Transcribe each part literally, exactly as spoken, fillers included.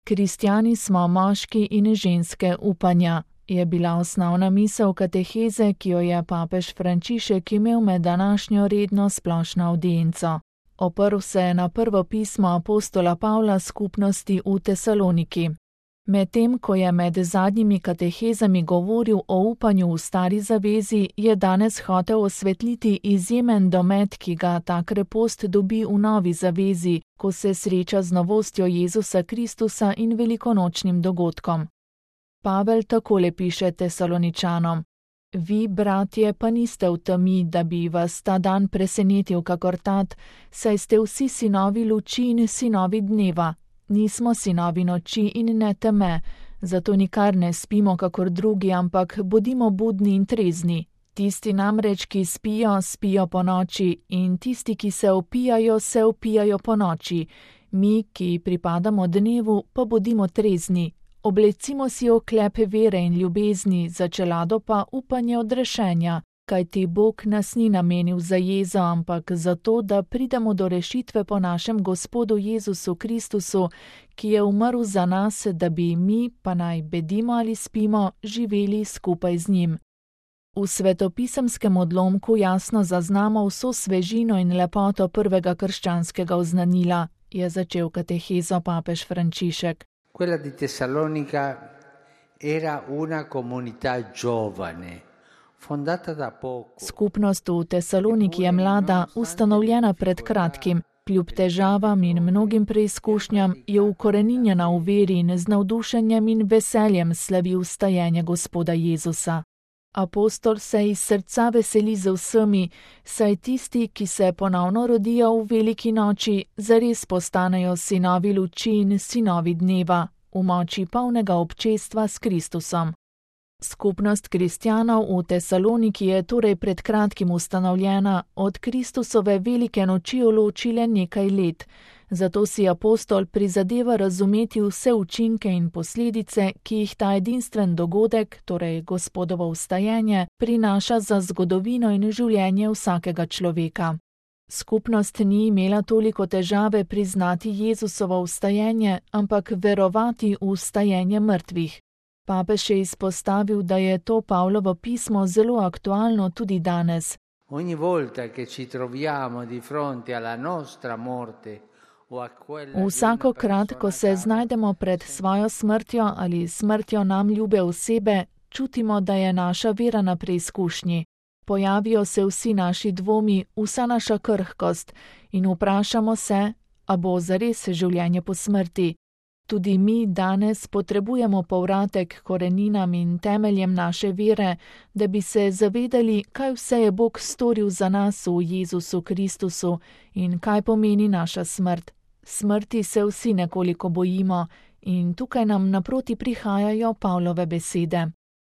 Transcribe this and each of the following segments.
Kristjani smo moški in ženske upanja, je bila osnovna misel kateheze, ki jo je papež Frančišek imel med današnjo redno splošno avdienco. Oprl se je na prvo pismo apostola Pavla skupnosti v Tesaloniki. Medtem ko je med zadnjimi katehezami govoril o upanju v stari zavezi, je danes hotel osvetliti izjemen domet, ki ga ta krepost dobi v novi zavezi, ko se sreča z novostjo Jezusa Kristusa in velikonočnim dogodkom. Pavel takole piše Tesaloničanom: Vi, bratje, pa niste v temi, da bi vas ta dan presenetil kakor tat, saj ste vsi sinovi luči in sinovi dneva. Nismo sinovi noči in ne teme, zato nikar ne spimo kakor drugi, ampak bodimo budni in trezni. Tisti namreč, ki spijo, spijo po noči, in tisti, ki se opijajo, se opijajo po noči. Mi, ki pripadamo dnevu, pa bodimo trezni. Oblecimo si oklepe vere in ljubezni, za čelado pa upanje odrešenja, kajti Bog nas ni namenil za jezo, ampak zato, da pridemo do rešitve po našem Gospodu Jezusu Kristusu, ki je umrl za nas, da bi mi, pa naj bedimo ali spimo, živeli skupaj z njim. V svetopisemskem odlomku jasno zaznamo vso svežino in lepoto prvega krščanskega oznanila, je začel katehezo papež Frančišek. Quella di Tessalonica era una comunità giovane. Skupnost v Tesaloniki je mlada, ustanovljena pred kratkim. Kljub težavam in mnogim preizkušnjam je ukoreninjena v veri in z navdušenjem in veseljem slavi vstajenje Gospoda Jezusa. Apostol se iz srca veseli z vsemi, saj tisti, ki se ponovno rodijo v veliki noči, zares postanejo sinovi luči in sinovi dneva, v moči polnega občestva s Kristusom. Skupnost kristjanov v Tesaloniki je torej pred kratkim ustanovljena, od Kristusove velike noči loči le nekaj let, zato si apostol prizadeva razumeti vse učinke in posledice, ki jih ta edinstven dogodek, torej Gospodovo vstajenje, prinaša za zgodovino in življenje vsakega človeka. Skupnost ni imela toliko težave priznati Jezusovo vstajenje, ampak verovati v vstajenje mrtvih. Papež je izpostavil, da je to Pavlovo pismo zelo aktualno tudi danes. Ogni volta che ci troviamo di fronte alla nostra morte o a quella Vsakokrat, ko se znajdemo pred svojo smrtjo ali smrtjo nam ljube osebe, čutimo, da je naša vera na preizkušnji. Pojavijo se vsi naši dvomi, vsa naša krhkost in vprašamo se, a bo zares življenje po smrti. Tudi mi danes potrebujemo povratek koreninam in temeljem naše vere, da bi se zavedali, kaj vse je Bog storil za nas v Jezusu Kristusu in kaj pomeni naša smrt. Smrti se vsi nekoliko bojimo in tukaj nam naproti prihajajo Pavlove besede.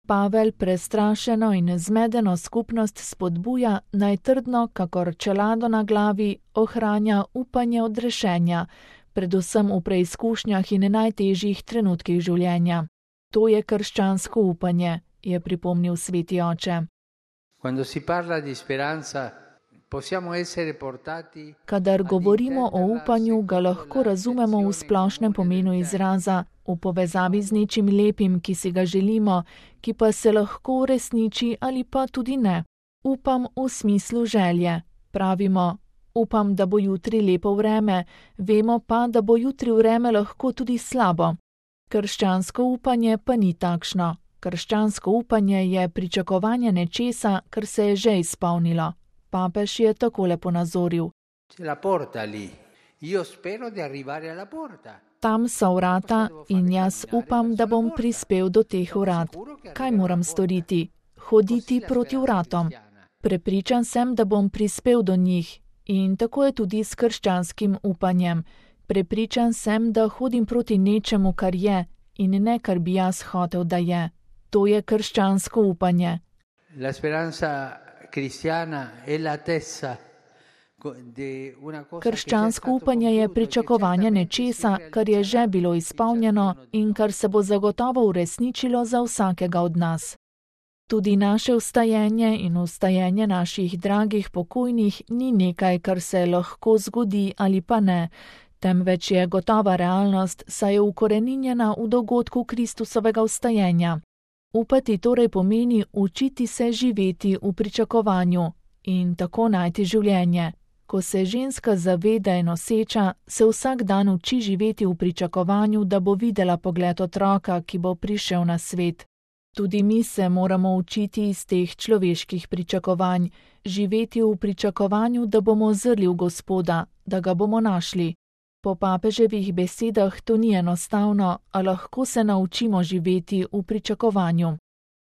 Pavel prestrašeno in zmedeno skupnost spodbuja, naj trdno, kakor čelado na glavi, ohranja upanje odrešenja, predvsem v preizkušnjah in najtežjih trenutkih življenja. To je krščansko upanje, je pripomnil sveti oče. Quando si parla di speranza, possiamo essere portati. Kadar govorimo o upanju, ga lahko razumemo v splošnem pomenu izraza, v povezavi z nečim lepim, ki si ga želimo, ki pa se lahko uresniči ali pa tudi ne. Upam v smislu želje. Pravimo, upam, da bo jutri lepo vreme, vemo pa, da bo jutri vreme lahko tudi slabo. Krščansko upanje pa ni takšno. Krščansko upanje je pričakovanje nečesa, kar se je že izpolnilo. Papež je takole ponazoril. Tam so vrata in jaz upam, da bom prispel do teh vrat. Kaj moram storiti? Hoditi proti vratom. Prepričan sem, da bom prispel do njih. In tako je tudi s krščanskim upanjem. Prepričan sem, da hodim proti nečemu, kar je, in ne kar bi jaz hotel, da je. To je krščansko upanje. La speranza cristiana è la tessa. Krščansko upanje je pričakovanje nečesa, kar je že bilo izpolnjeno in kar se bo zagotovo uresničilo za vsakega od nas. Tudi naše vstajenje in vstajenje naših dragih pokojnih ni nekaj, kar se lahko zgodi ali pa ne, temveč je gotova realnost, saj je ukoreninjena v dogodku Kristusovega vstajenja. Upati torej pomeni učiti se živeti v pričakovanju in tako najti življenje. Ko se ženska zaveda in noseča, se vsak dan uči živeti v pričakovanju, da bo videla pogled otroka, ki bo prišel na svet. Tudi mi se moramo učiti iz teh človeških pričakovanj, živeti v pričakovanju, da bomo zrli v Gospoda, da ga bomo našli. Po papeževih besedah to ni enostavno, a lahko se naučimo živeti v pričakovanju.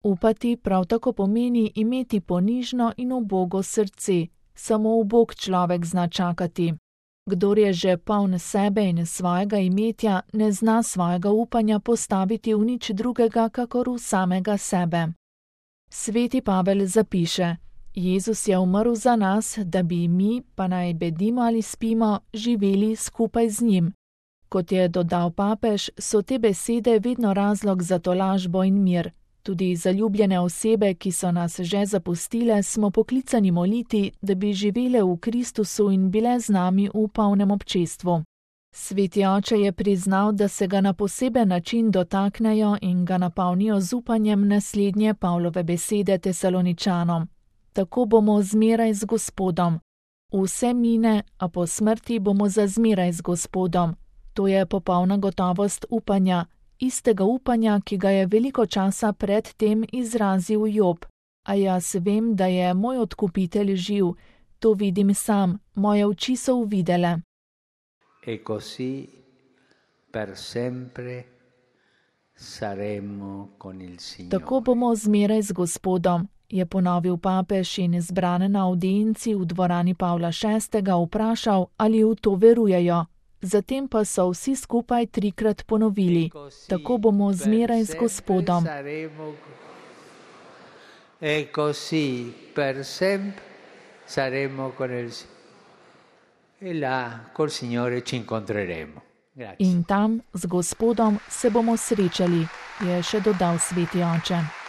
Upati prav tako pomeni imeti ponižno in ubogo srce, samo ubog človek zna čakati. Kdor je že poln sebe in svojega imetja, ne zna svojega upanja postaviti v nič drugega, kakor v samega sebe. Sveti Pavel zapiše: Jezus je umrl za nas, da bi mi, pa naj bedimo ali spimo, živeli skupaj z njim. Kot je dodal papež, so te besede vedno razlog za tolažbo in mir. Tudi zaljubljene osebe, ki so nas že zapustile, smo poklicani moliti, da bi živele v Kristusu in bile z nami v polnem občestvu. Sveti oče je priznal, da se ga na poseben način dotaknejo in ga napolnijo z upanjem naslednje Pavlove besede Tesaloničanom. Tako bomo zmeraj z Gospodom. Vse mine, a po smrti bomo za zmeraj z Gospodom. To je popolna gotovost upanja, istega upanja, ki ga je veliko časa pred tem izrazil Job. A jaz vem, da je moj odkupitelj živ, to vidim sam, moje oči so uvidele. E così per sempre saremo con il Signore. Tako bomo zmeraj z Gospodom, je ponovil papež in zbrane na avdienci v dvorani Pavla šestega vprašal, ali v to verujejo. Zatem pa so vsi skupaj trikrat ponovili: tako bomo zmeraj z Gospodom. E così per sempre saremo con il Signore. E là col Signore ci incontreremo. Grazie. In tam z Gospodom se bomo srečali, je še dodal sveti oče.